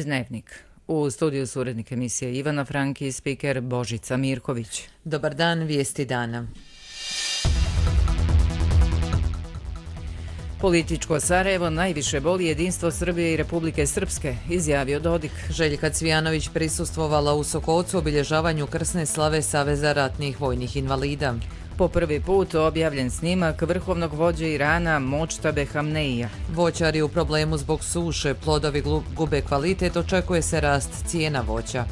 Dnevnik. U studiju su urednik emisije Ivana Franki i spiker Božica Mirković. Dobar dan, vijesti dana. Političko Sarajevo najviše boli jedinstvo Srbije i Republike Srpske, izjavio Dodik. Željka Cvijanović prisustvovala u Sokolcu obilježavanju krsne slave Saveza ratnih vojnih invalida. Po prvi put objavljen snimak vrhovnog vođe Irana Močtabe Hamneija. Voćari u problemu zbog suše, plodovi gube kvalitet, očekuje se rast cijena voća.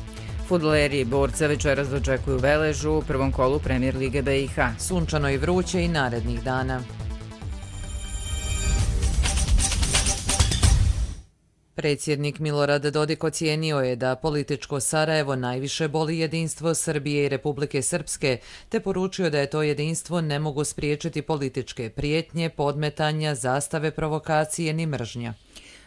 Fudbaleri i borca večeras dočekuju Veležu u prvom kolu Premijer Lige BiH. Sunčano i vruće i narednih dana. Predsjednik Milorad Dodik ocijenio je da političko Sarajevo najviše boli jedinstvo Srbije i Republike Srpske, te poručio da je to jedinstvo ne mogu spriječiti političke prijetnje, podmetanja, zastave, provokacije ni mržnja.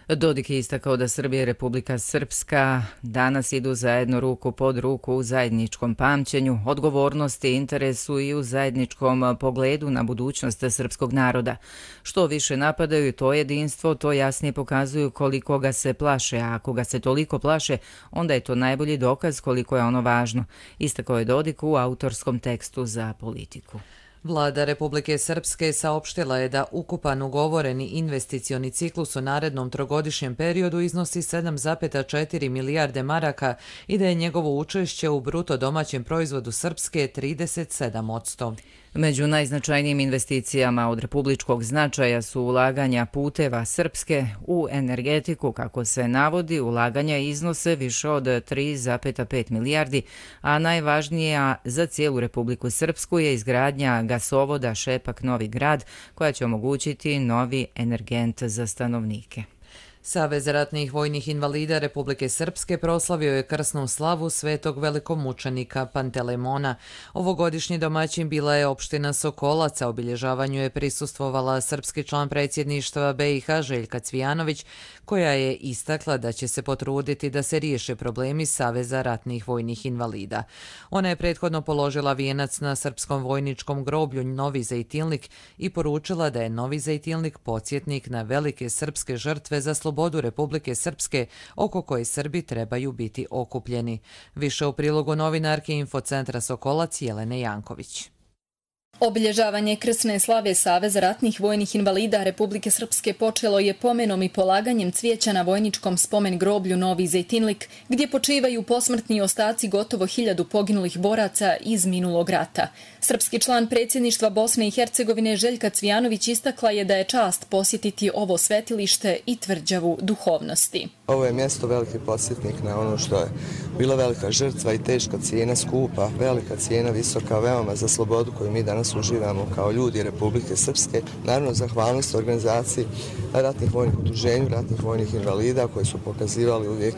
Dodik je istakao da Srbija i Republika Srpska danas idu zajedno ruku pod ruku u zajedničkom pamćenju, odgovornosti, interesu i u zajedničkom pogledu na budućnost srpskog naroda. Što više napadaju to jedinstvo, to jasnije pokazuju koliko ga se plaše, a ako ga se toliko plaše, onda je to najbolji dokaz koliko je ono važno, istakao je Dodik u autorskom tekstu za Politiku. Vlada Republike Srpske saopštila je da ukupan ugovoreni investicioni ciklus u narednom trogodišnjem periodu iznosi 7,4 milijarde maraka i da je njegovo učešće u bruto domaćem proizvodu Srpske 37%. Među najznačajnijim investicijama od republičkog značaja su ulaganja puteva Srpske u energetiku, kako se navodi, ulaganja iznose više od 3,5 milijardi, a najvažnija za cijelu Republiku Srpsku je izgradnja gasovoda Šepak-Novi Grad, koja će omogućiti novi energent za stanovnike. Savez ratnih vojnih invalida Republike Srpske proslavio je krsnu slavu svetog velikomučenika Pantelemona. Ovogodišnji domaćin bila je opština Sokolac, a obilježavanju je prisustvovala srpski član predsjedništva BiH Željka Cvijanović, koja je istakla da će se potruditi da se riješe problemi Saveza ratnih vojnih invalida. Ona je prethodno položila vijenac na srpskom vojničkom groblju Novi Zejtilnik i poručila da je Novi Zejtilnik podsjetnik na velike srpske žrtve za slobodu Republike Srpske, oko koje Srbi trebaju biti okupljeni. Više u prilogu novinarke Infocentra Sokolac Jelene Janković. Obilježavanje krsne slave Saveza ratnih vojnih invalida Republike Srpske počelo je pomenom i polaganjem cvijeća na vojničkom spomen groblju Novi Zejtinlik, gdje počivaju posmrtni ostaci gotovo 1000 poginulih boraca iz minulog rata. Srpski član predsjedništva Bosne i Hercegovine Željka Cvijanović istakla je da je čast posjetiti ovo svetilište i tvrđavu duhovnosti. Ovo je mjesto veliki podsjetnik na ono što je bila velika žrtva i teška cijena, skupa, velika cijena, visoka, veoma za slobodu koju mi danas uživamo kao ljudi Republike Srpske. Naravno, zahvalnost organizaciji ratnih vojnih udruženja, ratnih vojnih invalida koji su pokazivali uvijek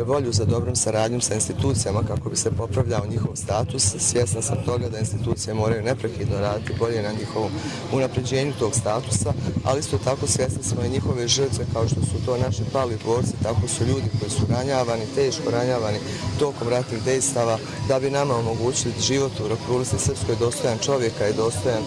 volju za dobrom saradnjom sa institucijama kako bi se popravljao njihov status. Svjesna sam toga da institucije moraju neprekidno raditi bolje na njihovom unapređenju tog statusa, ali isto tako svjesni smo i njihove žrtve kao što su to naši pali borci, tako su ljudi koji su ranjavani, teško ranjavani tokom ratnih dejstava da bi nama omogućili život u Republici Srpskoj dostojan čovjeka i dostojan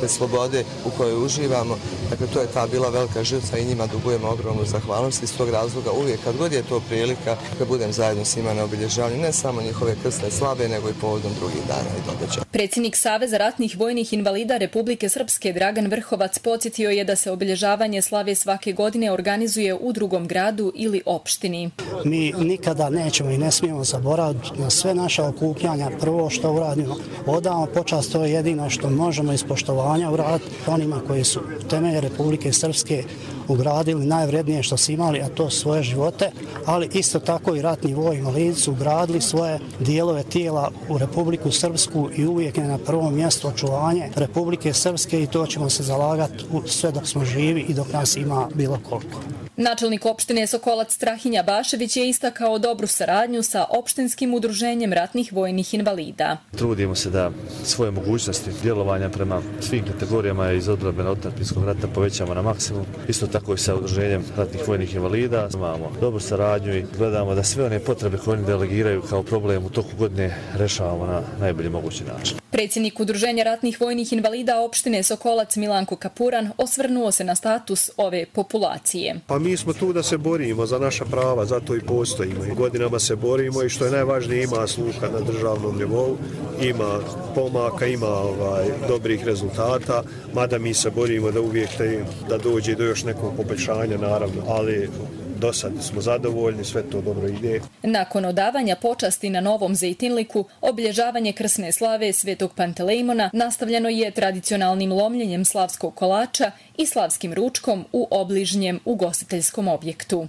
slobode u kojoj uživamo. Dakle, to je ta bila velika žrtva i njima dugujemo ogromnu zahvalnost. Iz tog razloga uvijek kad god je to prilika da budem zajedno s njima na obilježavanju ne samo njihove krsne slave, nego i povodom drugih dana i događaja. Predsjednik Saveza ratnih vojnih invalida Republike Srpske Dragan Vrhovac podsjetio je da se obilježavanje slave svake godine organizuje u drugom gradu ili opštini. Mi nikada nećemo i ne smijemo zaboraviti na sve naše okupljanja. Prvo što uradimo, odamo počast, to je jedino što možemo iz poštovanja uraditi onima koji su temelje Republike Srpske ugradili najvrednije što su imali, a to svoje živote, ali isto tako i ratni vojni invalidi su ugradili svoje dijelove tijela u Republiku Srpsku i uvijek je na prvom mjestu očuvanje Republike Srpske i to ćemo se zalagati sve dok smo živi i dok nas ima bilo koliko. Načelnik opštine Sokolac Strahinja Bašević je istakao dobru saradnju sa opštinskim udruženjem ratnih vojnih invalida. Trudimo se da svoje mogućnosti djelovanja prema svim kategorijama iz odbrane otadžbinskog rata povećamo na maksimum. Isto tako i sa udruženjem ratnih vojnih invalida. Imamo dobru saradnju i gledamo da sve one potrebe koje oni delegiraju kao problem u toku godine rešavamo na najbolji mogući način. Predsjednik Udruženja ratnih vojnih invalida opštine Sokolac Milanko Kapuran osvrnuo se na status ove populacije. Pa mi smo tu da se borimo za naša prava, zato i postojimo. I godinama se borimo i što je najvažnije ima sluha na državnom nivou, ima pomaka, ima dobrih rezultata, mada mi se borimo da uvijek da dođe do još nekog poboljšanja, naravno, ali do sad smo zadovoljni, sve to dobro ide. Nakon odavanja počasti na Novom Zejtinliku, obilježavanje krsne slave Svetog Pantelejmona nastavljeno je tradicionalnim lomljenjem slavskog kolača i slavskim ručkom u obližnjem ugostiteljskom objektu.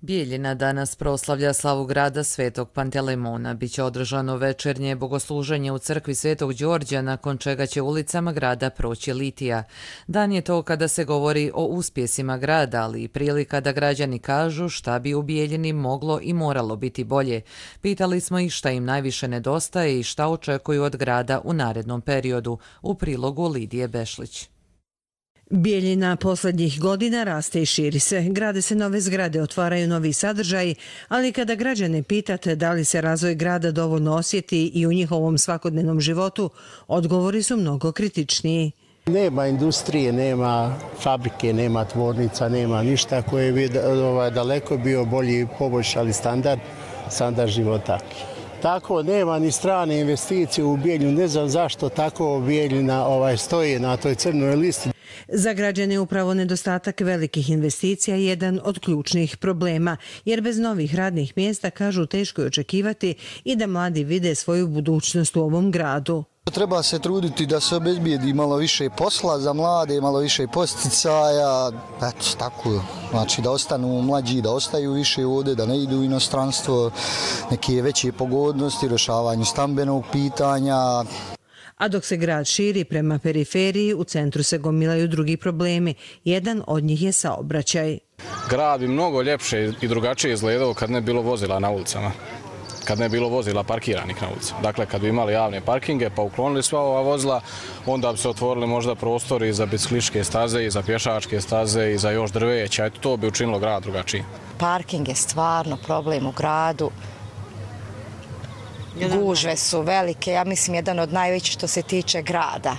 Bijeljina danas proslavlja slavu grada Svetog Pantelejmona. Biće održano večernje bogosluženje u crkvi Svetog Đorđa, nakon čega će ulicama grada proći litija. Dan je to kada se govori o uspjesima grada, ali i prilika da građani kažu šta bi u Bijeljini moglo i moralo biti bolje. Pitali smo ih šta im najviše nedostaje i šta očekuju od grada u narednom periodu. U prilogu Lidije Bešlić. Bijeljina posljednjih godina raste i širi se. Grade se nove zgrade, otvaraju novi sadržaji, ali kada građane pitate da li se razvoj grada dovoljno osjeti i u njihovom svakodnevnom životu, odgovori su mnogo kritičniji. Nema industrije, nema fabrike, nema tvornica, nema ništa koje bi daleko bio bolji i poboljšali standard života. Tako nema ni strane investicije u Bijeljinu. Ne znam zašto tako Bijeljina stoji na toj crnoj listi. Za građane upravo nedostatak velikih investicija je jedan od ključnih problema, jer bez novih radnih mjesta, kažu, teško je očekivati i da mladi vide svoju budućnost u ovom gradu. Treba se truditi da se obezbijedi malo više posla za mlade, malo više posticaja, eto tako, znači da ostanu mlađi, da ostaju više ovdje, da ne idu u inostranstvo, neke veće pogodnosti, rješavanju stambenog pitanja. A dok se grad širi prema periferiji, u centru se gomilaju drugi problemi. Jedan od njih je saobraćaj. Grad bi mnogo ljepše i drugačije izgledao kad ne bilo vozila na ulicama. Kad ne bilo vozila parkiranih na ulici. Dakle, kad bi imali javne parkinge pa uklonili sva ova vozila, onda bi se otvorili možda prostori za biciklističke staze i za pješačke staze i za još drveća. Eto, to bi učinilo grad drugačiji. Parking je stvarno problem u gradu. Gužve su velike, ja mislim jedan od najvećih što se tiče grada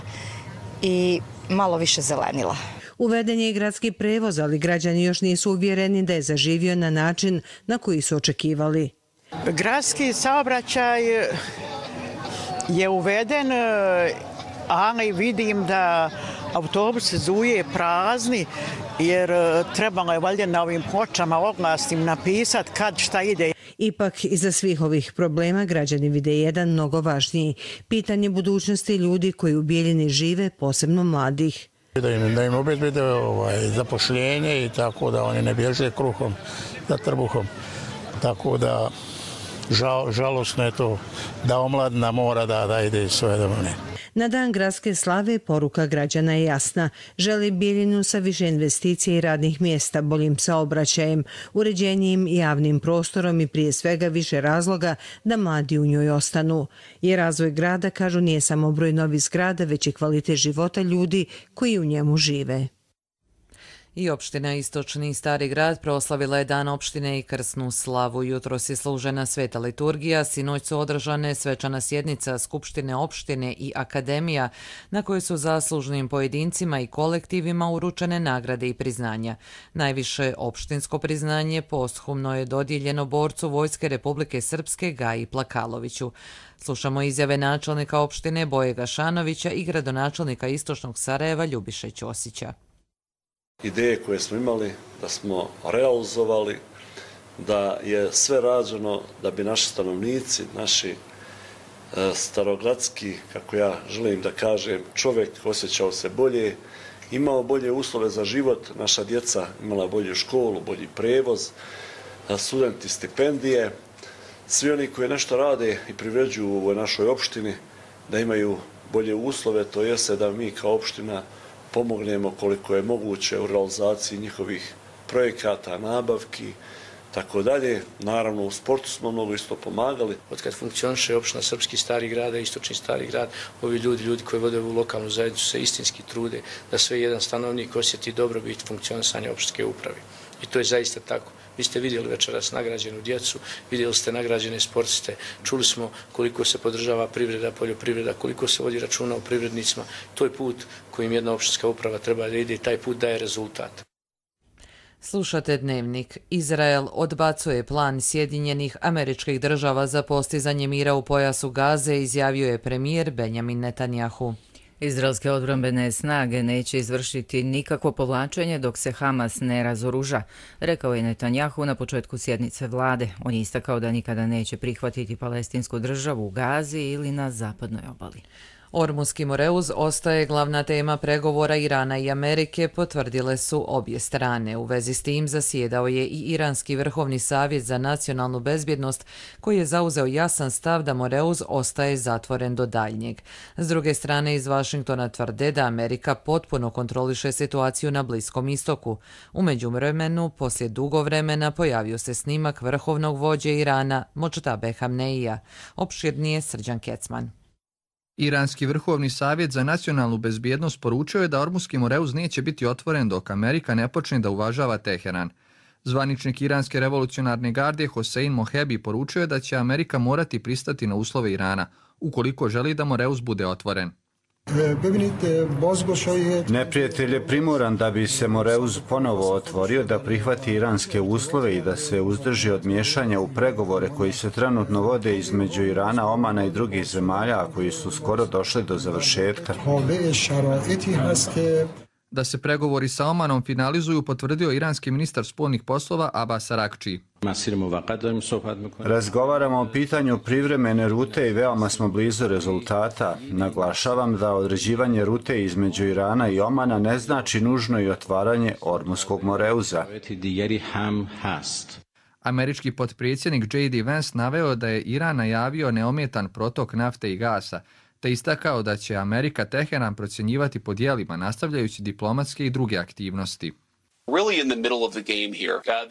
i malo više zelenila. Uveden je i gradski prevoz, ali građani još nisu uvjereni da je zaživio na način na koji su očekivali. Gradski saobraćaj je uveden, ali vidim da autobusi zuje prazni, jer trebalo je valjda na ovim pločama oglasnim napisati kad šta ide. Ipak, iza svih ovih problema građani vide jedan mnogo važniji. Pitanje budućnosti ljudi koji u Bijeljini žive, posebno mladih. Da im obezbede zapošljenje i tako da oni ne bježe kruhom za trbuhom. Tako da žalosno je to da omladina mora da ide iz svoje domove. Na dan gradske slave poruka građana je jasna. Želi Bijeljinu sa više investicija i radnih mjesta, boljim saobraćajem, uređenijim javnim prostorom i prije svega više razloga da mladi u njoj ostanu. Jer razvoj grada, kažu, nije samo broj novih zgrada, već i kvalitet života ljudi koji u njemu žive. I opština Istočni Stari grad proslavila je dan opštine i krsnu slavu. Jutros je služena sveta liturgija, sinoć su održane svečana sjednica Skupštine opštine i akademija, na kojoj su zaslužnim pojedincima i kolektivima uručene nagrade i priznanja. Najviše opštinsko priznanje posthumno je dodijeljeno borcu Vojske Republike Srpske Gaji Plakaloviću. Slušamo izjave načelnika opštine Boje Gašanovića i gradonačelnika Istočnog Sarajeva Ljubiše Ćosića. Ideje koje smo imali, da smo realizovali, da je sve rađeno da bi naši stanovnici, naši starogradski, kako ja želim da kažem, čovjek osjećao se bolje, imao bolje uslove za život, naša djeca imala bolju školu, bolji prevoz, studenti stipendije, svi oni koji nešto rade i privređuju u ovoj našoj opštini, da imaju bolje uslove, to jeste da mi kao opština pomognemo koliko je moguće u realizaciji njihovih projekata, nabavki, tako dalje. Naravno, u sportu smo mnogo isto pomagali. Od kad funkcioniše opština Srpski Stari grad, Istočni Stari grad, ovi ljudi koji vode ovu lokalnu zajednicu se istinski trude da sve jedan stanovnik osjeti dobrobit funkcionisanja opštinske uprave. I to je zaista tako. Vi ste vidjeli večeras nagrađenu djecu, vidjeli ste nagrađene sportiste, čuli smo koliko se podržava privreda, poljoprivreda, koliko se vodi računa o privrednicima. To je put kojim jedna opštinska uprava treba da ide i taj put daje rezultat. Slušate Dnevnik. Izrael odbacuje plan Sjedinjenih Američkih Država za postizanje mira u pojasu Gaze, izjavio je premijer Benjamin Netanjahu. Izraelske odbrambene snage neće izvršiti nikakvo povlačenje dok se Hamas ne razoruža, rekao je Netanjahu na početku sjednice vlade. On je istakao da nikada neće prihvatiti palestinsku državu u Gazi ili na zapadnoj obali. Ormuski Moreuz ostaje glavna tema pregovora Irana i Amerike, potvrdile su obje strane. U vezi s tim zasjedao je i Iranski vrhovni savjet za nacionalnu bezbjednost, koji je zauzeo jasan stav da Moreuz ostaje zatvoren do daljnjeg. S druge strane, iz Vašingtona tvrde da Amerika potpuno kontroliše situaciju na Bliskom istoku. U međuvremenu, poslije dugo vremena, pojavio se snimak vrhovnog vođe Irana, Modžtabe Hamneija. Opširnije Srđan Kecman. Iranski vrhovni savjet za nacionalnu bezbjednost poručio je da Ormuski Moreuz neće biti otvoren dok Amerika ne počne da uvažava Teheran. Zvaničnik Iranske revolucionarne garde Hosein Mohebi poručio je da će Amerika morati pristati na uslove Irana, ukoliko želi da Moreuz bude otvoren. Neprijatelj je primoran da bi se Moreuz ponovo otvorio, da prihvati iranske uslove i da se uzdrži od miješanja u pregovore koji se trenutno vode između Irana, Omana i drugih zemalja, a koji su skoro došli do završetka. Da se pregovori sa Omanom finalizuju, potvrdio iranski ministar spoljnih poslova Abbas Araghchi. Razgovaramo o pitanju privremene rute i veoma smo blizu rezultata. Naglašavam da određivanje rute između Irana i Omana ne znači nužno i otvaranje Ormuskog Moreuza. Američki potpredsjednik J.D. Vance naveo da je Iran najavio neometan protok nafte i gasa, te istakao da će Amerika Teheran procjenjivati po dijelima, nastavljajući diplomatske i druge aktivnosti.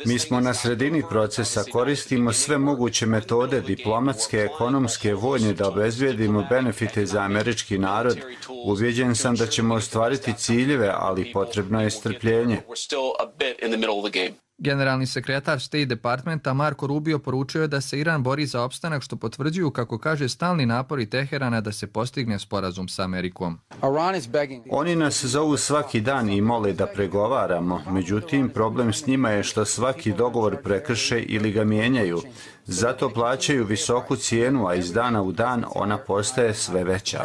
Mi smo na sredini procesa, koristimo sve moguće metode diplomatske, ekonomske, vojne da obezbijedimo benefite za američki narod. Ubjeđen sam da ćemo ostvariti ciljeve, ali potrebno je strpljenje. Generalni sekretar State Departmenta Marco Rubio poručio je da se Iran bori za opstanak, što potvrđuju, kako kaže, stalni napori Teherana da se postigne sporazum sa Amerikom. Oni nas zovu svaki dan i mole da pregovaramo, međutim problem s njima je što svaki dogovor prekrše ili ga mijenjaju. Zato plaćaju visoku cijenu, a iz dana u dan ona postaje sve veća.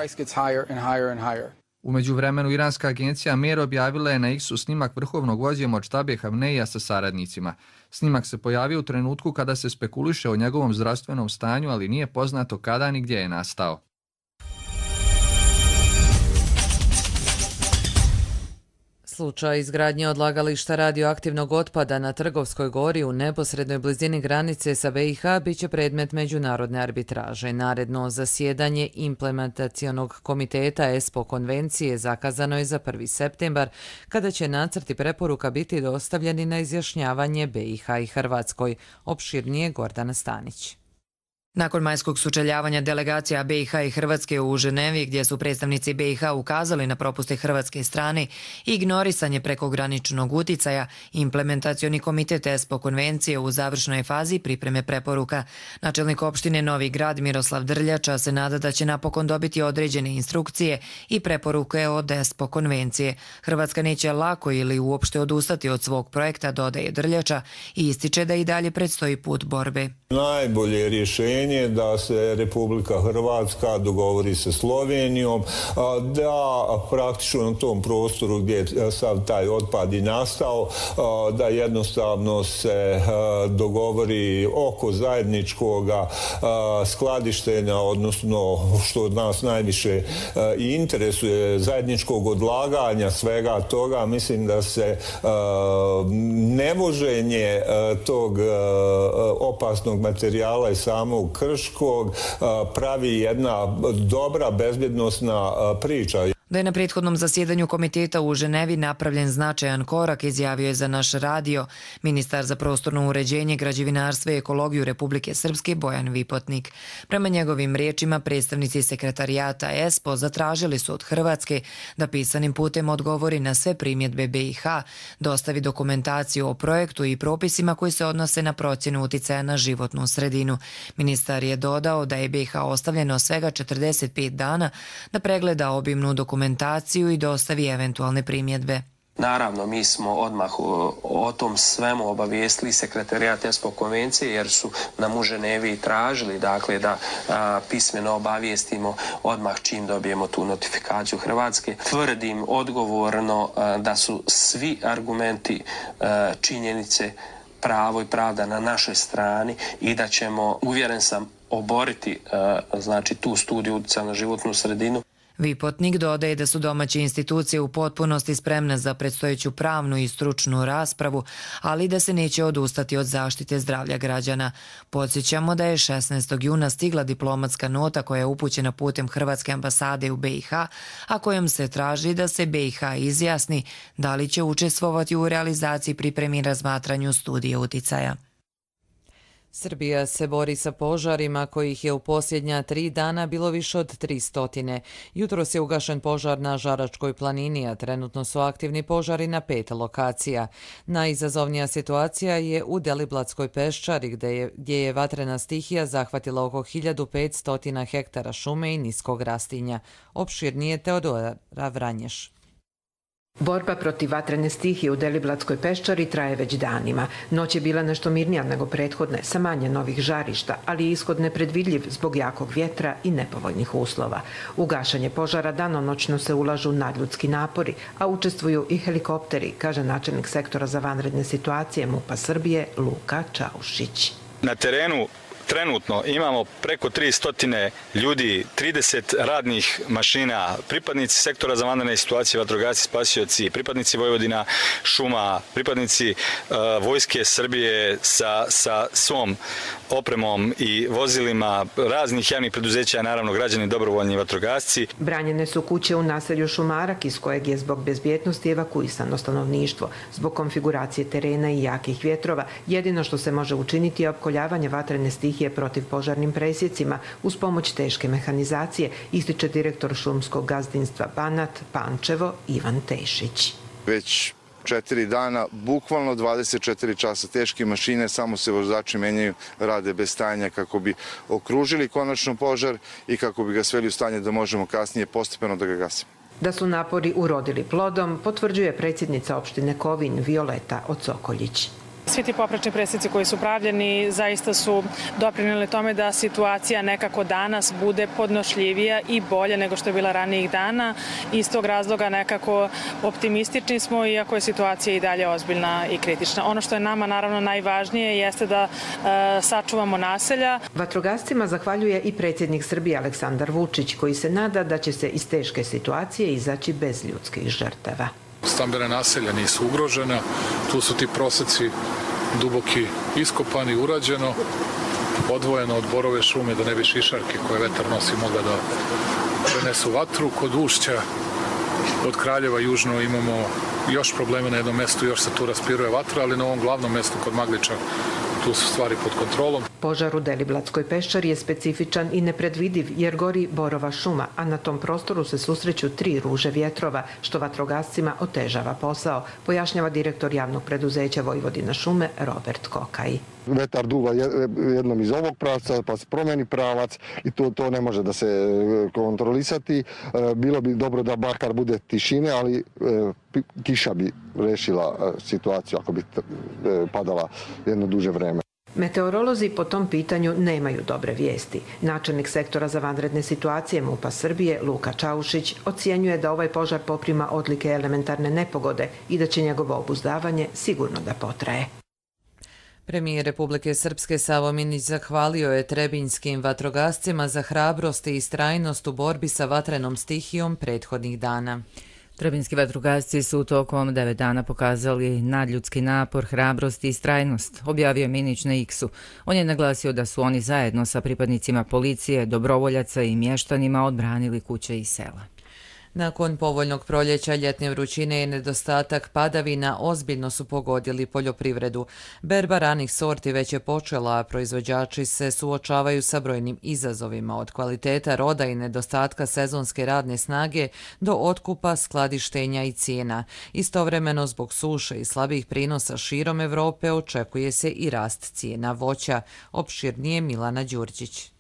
U međuvremenu, iranska agencija Mer objavila je na X-u snimak vrhovnog vođe Modžtabe Hamneija sa saradnicima. Snimak se pojavio u trenutku kada se spekuliše o njegovom zdravstvenom stanju, ali nije poznato kada ni gdje je nastao. Slučaj izgradnje odlagališta radioaktivnog otpada na Trgovskoj gori u neposrednoj blizini granice sa BiH biće predmet međunarodne arbitraže. Naredno zasjedanje implementacionog komiteta ESPO konvencije zakazano je za 1. septembar, kada će nacrti preporuka biti dostavljeni na izjašnjavanje BiH i Hrvatskoj. Opširnije Gordana Stanić. Nakon majskog sučeljavanja delegacija BiH i Hrvatske u Ženevi, gdje su predstavnici BiH ukazali na propuste hrvatske strane i ignorisanje prekograničnog uticaja, implementacioni komitet ESPO konvencije u završnoj fazi pripreme preporuka. Načelnik opštine Novi Grad Miroslav Drljača se nada da će napokon dobiti određene instrukcije i preporuke od ESPO konvencije. Hrvatska neće lako ili uopšte odustati od svog projekta, dodaje Drljača, i ističe da i dalje predstoji put borbe. Najbolje rješenje da se Republika Hrvatska dogovori sa Slovenijom, da praktično na tom prostoru gdje je sav taj otpad i nastao, da jednostavno se dogovori oko zajedničkog skladištenja, odnosno što od nas najviše i interesuje, zajedničkog odlaganja svega toga. Mislim da se nevoženje tog opasnog materijala i samog Krškog pravi jedna dobra bezbjednosna priča. Da je na prethodnom zasjedanju komiteta u Ženevi napravljen značajan korak, izjavio je za naš radio ministar za prostorno uređenje, građevinarstvo i ekologiju Republike Srpske Bojan Vipotnik. Prema njegovim riječima, predstavnici sekretarijata ESPO zatražili su od Hrvatske da pisanim putem odgovori na sve primjedbe BiH, dostavi dokumentaciju o projektu i propisima koji se odnose na procjenu uticaja na životnu sredinu. Ministar je dodao da je BiH ostavljeno svega 45 dana da pregleda obimnu dokumentaciju i dostavi eventualne primjedbe. Naravno, mi smo odmah o tom svemu obavijestili sekretarijat ESPO konvencije jer su nam u Ženevi tražili da pismeno obavijestimo odmah čim dobijemo tu notifikaciju Hrvatske. Tvrdim odgovorno da su svi argumenti, činjenice, pravo i pravda na našoj strani i da ćemo, uvjeren sam, oboriti tu studiju utjecaja na životnu sredinu. Vipotnik dodaje da su domaće institucije u potpunosti spremne za predstojeću pravnu i stručnu raspravu, ali da se neće odustati od zaštite zdravlja građana. Podsjećamo da je 16. juna stigla diplomatska nota koja je upućena putem Hrvatske ambasade u BiH, a kojom se traži da se BiH izjasni da li će učestvovati u realizaciji pripremi i razmatranju studije uticaja. Srbija se bori sa požarima kojih je u posljednja 3 dana bilo više od 300. Jutros je ugašen požar na Žaračkoj planini, a trenutno su aktivni požari na 5 lokacija. Najizazovnija situacija je u Deliblatskoj peščari gdje je vatrena stihija zahvatila oko 1500 hektara šume i niskog rastinja. Opširnije Teodora Vranješ. Borba protiv vatrene stihije u Deliblatskoj peščari traje već danima. Noć je bila nešto mirnija nego prethodne, sa manje novih žarišta, ali je ishod nepredvidljiv zbog jakog vjetra i nepovoljnih uslova. U gašenje požara danonoćno se ulažu nadljudski napori, a učestvuju i helikopteri, kaže načelnik sektora za vanredne situacije MUP-a Srbije Luka Čaušić. Na terenu trenutno imamo preko 300 ljudi, 30 radnih mašina, pripadnici sektora za vanredne situacije, vatrogasci, spasioci, pripadnici Vojvodina šuma, pripadnici Vojske Srbije sa svom opremom i vozilima raznih javnih preduzeća, naravno građani, dobrovoljni vatrogasci. Branjene su kuće u naselju Šumarak iz kojeg je zbog bezbjednosti evakuisano stanovništvo. Zbog konfiguracije terena i jakih vjetrova, jedino što se može učiniti je opkoljavanje vatrene stihije protiv požarnim presjecima uz pomoć teške mehanizacije, ističe direktor šumskog gazdinstva Banat Pančevo Ivan Tešić. Već 4 dana, bukvalno 24 časa teške mašine, samo se vozači menjaju, rade bez stajanja kako bi okružili konačno požar i kako bi ga sveli u stanje da možemo kasnije postepeno da ga gasimo. Da su napori urodili plodom, potvrđuje predsjednica opštine Kovin Violeta Ocokoljić. Svi ti poprečni presjeci koji su pravljeni zaista su doprinijeli tome da situacija nekako danas bude podnošljivija i bolje nego što je bila ranijih dana. Iz tog razloga nekako optimistični smo, iako je situacija i dalje ozbiljna i kritična. Ono što je nama naravno najvažnije jeste da sačuvamo naselja. Vatrogascima zahvaljuje i predsjednik Srbije Aleksandar Vučić, koji se nada da će se iz teške situacije izaći bez ljudskih žrtava. Stambena naselja nisu ugrožena, tu su ti proseci duboki iskopani, urađeno, odvojeno od borove šume da ne bi šišarke koje vetar nosi mogla da prenesu vatru. Kod Ušća od Kraljeva južno imamo još problema na jednom mjestu, još se tu raspiruje vatra, ali na ovom glavnom mjestu kod Magliča tu su stvari pod kontrolom. Požar u Deliblatskoj peščari je specifičan i nepredvidiv jer gori borova šuma, a na tom prostoru se susreću 3 ruže vjetrova, što vatrogascima otežava posao, pojašnjava direktor javnog preduzeća Vojvodina šume Robert Kokaj. Vetar duva jednom iz ovog pravca, pa se promeni pravac i to ne može da se kontrolisati. Bilo bi dobro da bakar bude tišine, ali kiša bi rešila situaciju ako bi padala jedno duže vreme. Meteorolozi po tom pitanju nemaju dobre vijesti. Načelnik sektora za vanredne situacije MUP-a Srbije Luka Čaušić ocjenjuje da ovaj požar poprima odlike elementarne nepogode i da će njegovo obuzdavanje sigurno da potraje. Premijer Republike Srpske Savo Minić zahvalio je trebinjskim vatrogascima za hrabrost i istrajnost u borbi sa vatrenom stihijom prethodnih dana. Trebinjski vatrogasci su tokom 9 dana pokazali nadljudski napor, hrabrost i istrajnost, objavio Minić na X-u. On je naglasio da su oni zajedno sa pripadnicima policije, dobrovoljaca i mještanima odbranili kuće i sela. Nakon povoljnog proljeća, ljetne vrućine i nedostatak padavina ozbiljno su pogodili poljoprivredu. Berba ranih sorti već je počela, a proizvođači se suočavaju sa brojnim izazovima od kvaliteta roda i nedostatka sezonske radne snage do otkupa, skladištenja i cijena. Istovremeno, zbog suše i slabih prinosa širom Evrope očekuje se i rast cijena voća. Opširnije Milana Đurđić.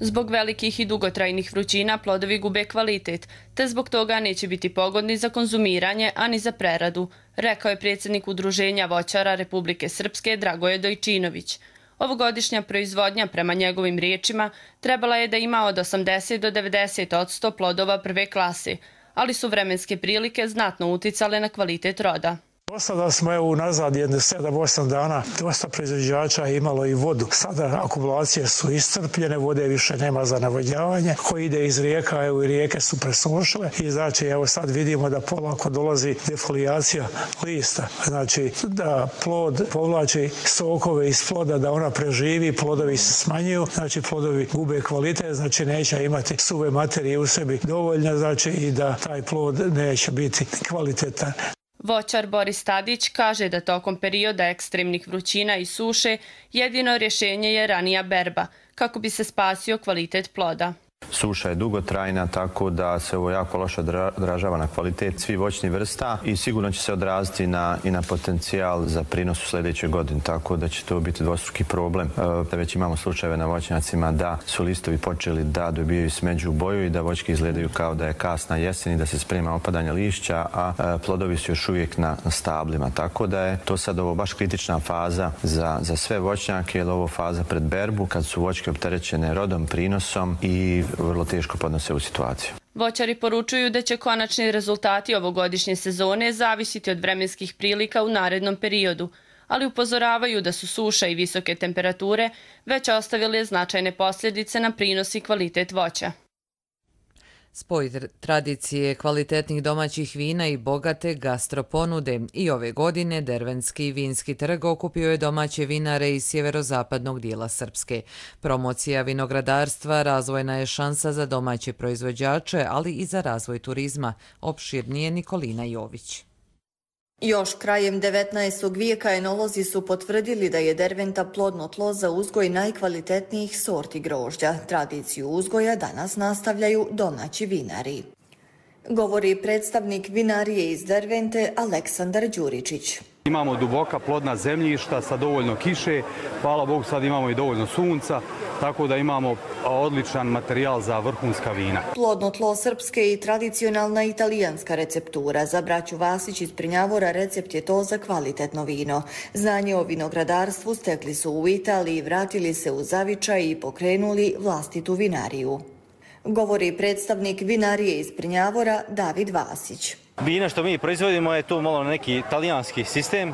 Zbog velikih i dugotrajnih vrućina plodovi gube kvalitet, te zbog toga neće biti pogodni za konzumiranje, ani za preradu, rekao je predsjednik Udruženja voćara Republike Srpske Dragoje Dojčinović. Ovogodišnja proizvodnja, prema njegovim riječima, trebala je da ima od 80 do 90% plodova prve klase, ali su vremenske prilike znatno uticale na kvalitet roda. Do sada smo unazad 7-8 dana dosta proizvođača imalo i vodu. Sada akumulacije su iscrpljene, vode više nema za navodnjavanje. Ko ide iz rijeka, i rijeke su presušile i znači sad vidimo da polako dolazi defolijacija lista. Znači da plod povlači sokove iz ploda, da ona preživi, plodovi se smanjuju, znači plodovi gube kvalitet, znači neće imati suve materije u sebi dovoljno, znači i da taj plod neće biti kvalitetan. Voćar Boris Tadić kaže da tokom perioda ekstremnih vrućina i suše jedino rješenje je ranija berba, kako bi se spasio kvalitet ploda. Suša je dugotrajna, tako da se ovo jako loše odražava na kvalitet svih voćnih vrsta i sigurno će se odraziti i na potencijal za prinos u sljedećoj godini, tako da će to biti dvostruki problem. Već imamo slučajeve na voćnjacima da su listovi počeli da dobijaju smeđu boju i da voćke izgledaju kao da je kasna jesen i da se sprema opadanje lišća, a plodovi su još uvijek na stablima. Tako da je to sad ovo baš kritična faza za sve voćnjake, jer ovo faza pred berbu, kad su voćke opterećene rodom, prinosom i vrlo teško podnose u situaciju. Voćari poručuju da će konačni rezultati ovogodišnje sezone zavisiti od vremenskih prilika u narednom periodu, ali upozoravaju da su suša i visoke temperature već ostavile značajne posljedice na prinos i kvalitet voća. Spoj tradicije kvalitetnih domaćih vina i bogate gastroponude i ove godine Dervenski vinski trg okupio je domaće vinare iz sjeverozapadnog dijela Srpske. Promocija vinogradarstva razvojna je šansa za domaće proizvođače, ali i za razvoj turizma. Opširnije Nikolina Jović. Još krajem 19. vijeka enolozi su potvrdili da je Derventa plodno tlo za uzgoj najkvalitetnijih sorti grožđa. Tradiciju uzgoja danas nastavljaju domaći vinari. Govori predstavnik vinarije iz Dervente Aleksandar Đuričić. Imamo duboka plodna zemljišta sa dovoljno kiše, hvala Bogu sad imamo i dovoljno sunca, tako da imamo odličan materijal za vrhunska vina. Plodno tlo srpske i tradicionalna italijanska receptura. Za braću Vasić iz Prnjavora recept je to za kvalitetno vino. Znanje o vinogradarstvu stekli su u Italiji, vratili se u zavičaj i pokrenuli vlastitu vinariju. Govori predstavnik vinarije iz Prnjavora David Vasić. Vina što mi proizvodimo je to malo neki italijanski sistem,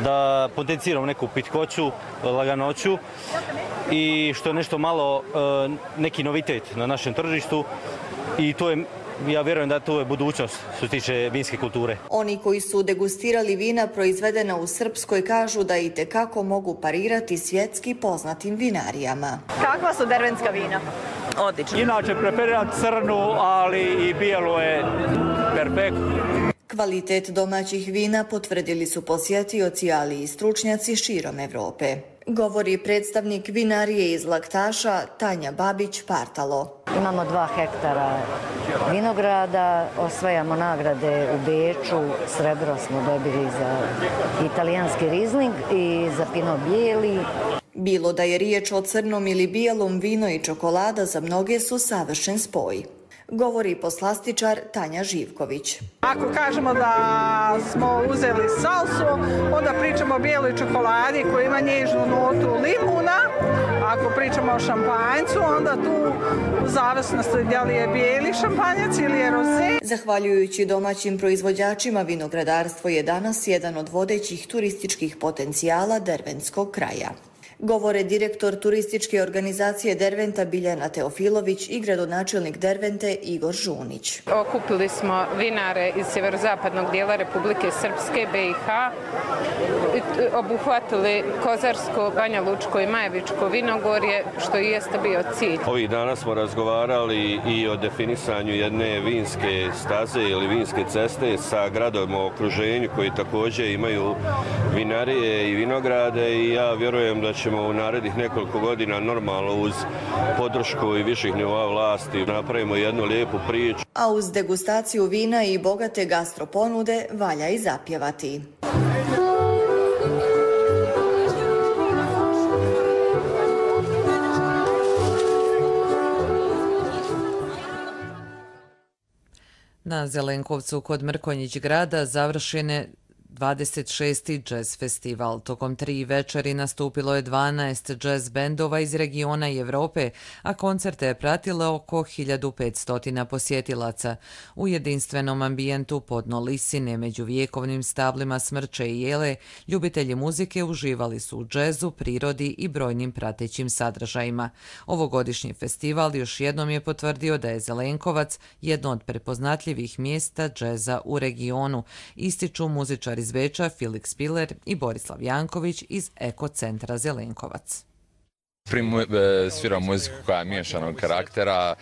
da potenciramo neku pitkoću, laganoću i što je nešto malo neki novitet na našem tržištu i to je, ja vjerujem da to je budućnost što se tiče vinske kulture. Oni koji su degustirali vina proizvedena u Srpskoj kažu da i tekako mogu parirati svjetski poznatim vinarijama. Kakva su dervenska vina? Odlično. Inače preferiram crnu, ali i bijelo je perfektno. Kvalitet domaćih vina potvrdili su posjetioci, ali i stručnjaci širom Evrope. Govori predstavnik vinarije iz Laktaša Tanja Babić-Partalo. Imamo 2 hektara vinograda, osvajamo nagrade u Beču, srebro smo dobili za italijanski rizling i za Pinot Bijeli. Bilo da je riječ o crnom ili bijelom, vino i čokolada za mnoge su savršen spoj. Govori poslastičar Tanja Živković. Ako kažemo da smo uzeli salsu, onda pričamo o bijeloj čokoladi koja ima nježnu notu limuna. Ako pričamo o šampanjcu, onda tu u zavisnosti da li je bijeli šampanjac ili je roze. Zahvaljujući domaćim proizvođačima, vinogradarstvo je danas jedan od vodećih turističkih potencijala dervenskog kraja. Govore direktor turističke organizacije Derventa Biljana Teofilović i gradonačelnik Dervente Igor Žunić. Okupili smo vinare iz sjeverozapadnog dijela Republike Srpske, BiH. obuhvatili Kozarsko, Banja Lučko i Majevičko vinogorje, što i jeste bio cilj. Ovih dana smo razgovarali i o definisanju jedne vinske staze ili vinske ceste sa gradovima u okruženju koji također imaju vinarije i vinograde i ja vjerujem da ćemo u narednih nekoliko godina normalno uz podršku i viših nivoa vlasti napravimo jednu lijepu priču. A uz degustaciju vina i bogate gastroponude valja i zapjevati. Na Zelenkovcu kod Mrkonjić grada završen je 26. džez festival. Tokom 3 večeri nastupilo je 12 džez bendova iz regiona i Evrope, a koncerte je pratilo oko 1500 posjetilaca. U jedinstvenom ambijentu podno Lisine među vjekovnim stablima Smrče i Jele, ljubitelji muzike uživali su u džezu, prirodi i brojnim pratećim sadržajima. Ovogodišnji festival još jednom je potvrdio da je Zelenkovac jedno od prepoznatljivih mjesta džeza u regionu, ističu muzičari iz Beča Filip Spiller i Borislav Janković iz Eko centra Zelenkovac. Sviramo muziku koja je miješanog karaktera,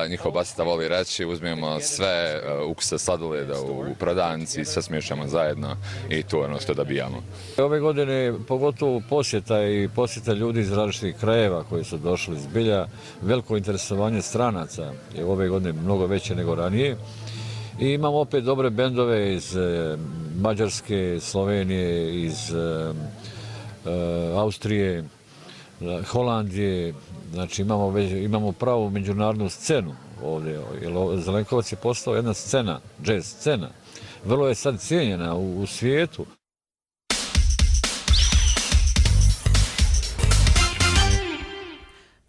njihov basista voli reći, uzmemo sve ukuse sladoleda u prodavnici, sve smiješamo zajedno i to je ono što dobijamo. Ove godine pogotovo posjeta ljudi iz različitih krajeva koji su došli zbilja, veliko interesovanje stranaca je ove godine mnogo veće nego ranije. I imamo opet dobre bendove iz Mađarske, Slovenije, iz Austrije, Holandije. Znači imamo pravu međunarodnu scenu ovdje. Zelenkovac je postao jedna scena, jazz scena. Vrlo je sad cijenjena u svijetu.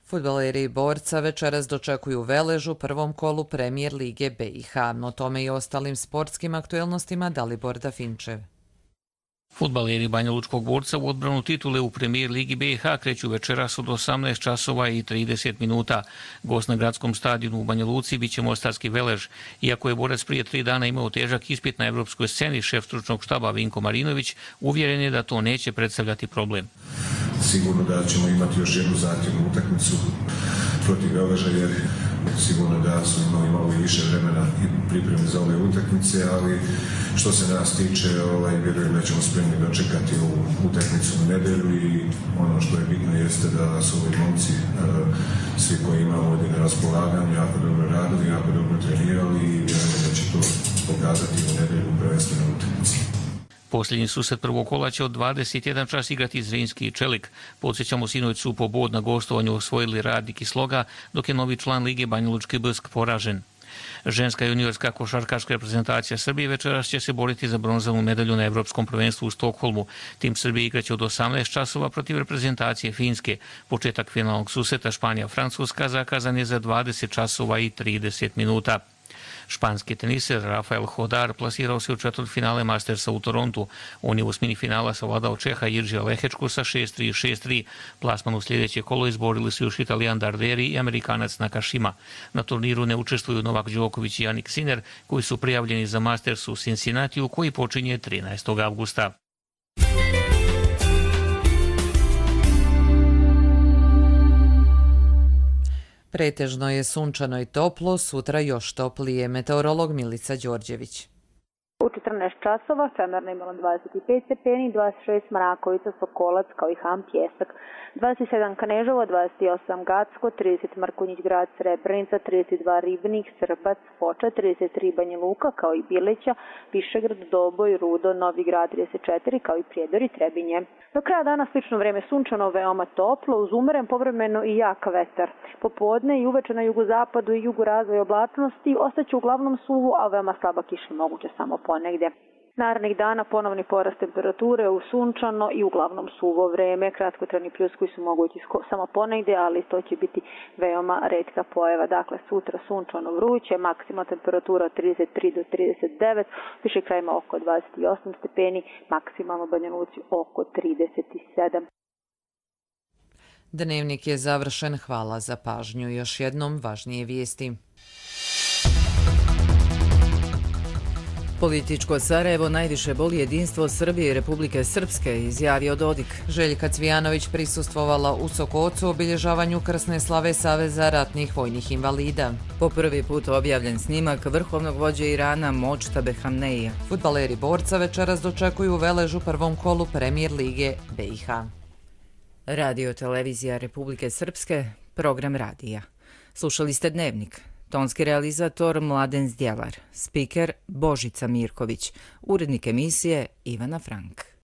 Fudbaleri Borca večeras dočekuju Velež u prvom kolu Premijer Lige BiH. O tome i ostalim sportskim aktuelnostima Dalibor Dafinčev. Fudbaleri Banja Lučkog Borca u odbranu titule u Premijer Ligi BiH kreću večeras od 18 časova i 30 minuta. Gost na gradskom stadionu u Banja Luci bit će mostarski Velež. Iako je borac prije 3 dana imao težak ispit na evropskoj sceni, šef stručnog štaba Vinko Marinović uvjeren je da to neće predstavljati problem. Sigurno da ćemo imati još jednu zahtjevnu utakmicu protiv Veleža jer sigurno da su imali malo više vremena i pripreme za ove utakmice, ali što se nas tiče, vjerujem da ćemo spremni dočekati ovu utakmicu u nedjelju i ono što je bitno jeste da su ovi momci, svi koji imamo ovdje na raspolaganju, jako dobro radili, jako dobro trenirali i vjerujem da će to pokazati u nedjelju u prvenstvenoj utakmici. Posljednji susret prvog kola će od 21 čas igrati Zrinski i Čelik. Podsjećamo, sinoć su po bod na gostovanju osvojili Radnik i Sloga, dok je novi član Lige Banja Lučki Brsk poražen. Ženska juniorska košarkaška reprezentacija Srbije večeras će se boriti za bronzanu medalju na Evropskom prvenstvu u Stokholmu. Tim Srbije igraće od 18 časova protiv reprezentacije Finske. Početak finalnog susreta Španija-Francuska zakazan je za 20 časova i 30 minuta. Španski teniser Rafael Hodar plasirao se u četvrtfinale Mastersa u Torontu. On je u osmini finala savladao Čeha Jiržija Lehečku sa 6-3 i 6-3. Plasman u sljedeće kolo izborili su još Italijan Darderi i Amerikanac Nakashima. Na turniru ne učestvuju Novak Đoković i Jannik Sinner, koji su prijavljeni za Masters u Cincinnatiju, koji počinje 13. avgusta. Pretežno je sunčano i toplo, sutra još toplije. Meteorolog Milica Đorđević. U 14 časova Femerno imalo 25 stepeni, 26 Mrakovica, Sokolac kao i Ham, Pjesak, 27 Kneževo, 28 Gacko, 30 Mrkonjić Grad, Srebrenica, 32 Ribnik, Srbac, Foča, 33 Banja Luka kao i Bileća, Višegrad, Doboj, Rudo, Novi Grad 34 kao i Prijedor i Trebinje. Do kraja dana slično vreme sunčano, veoma toplo, uz umeren povremeno i jak vetar. Popodne i uveče na jugozapadu i jugu razvoj oblačnosti ostaće uglavnom suvo, a veoma slaba kiša moguće samo ponegdje. Narednih dana ponovni porast temperature u sunčano i uglavnom suvo vreme, kratkotrajni pljuskovi su mogući samo ponegdje, ali to će biti veoma retka pojava. Dakle, sutra sunčano vruće, maksimalna temperatura od 33 do 39, više krajima oko 28 stepeni, maksimalno u Banja Luci oko 37. Dnevnik je završen, hvala za pažnju. Još jednom važnije vijesti. Političko Sarajevo najviše boli jedinstvo Srbije i Republike Srpske, izjavio Dodik. Željka Cvijanović prisustvovala u Sokocu obilježavanju krsne slave Saveza ratnih vojnih invalida. Po prvi put objavljen snimak vrhovnog vođe Irana Modžtabe Hamneija. Fudbaleri Borca večeras dočekuju Velež u prvom kolu Premijer lige BiH. Radio televizija Republike Srpske, program radija. Slušali ste Dnevnik. Tonski realizator Mladen Zdjelar, spiker Božica Mirković, urednik emisije Ivana Frank.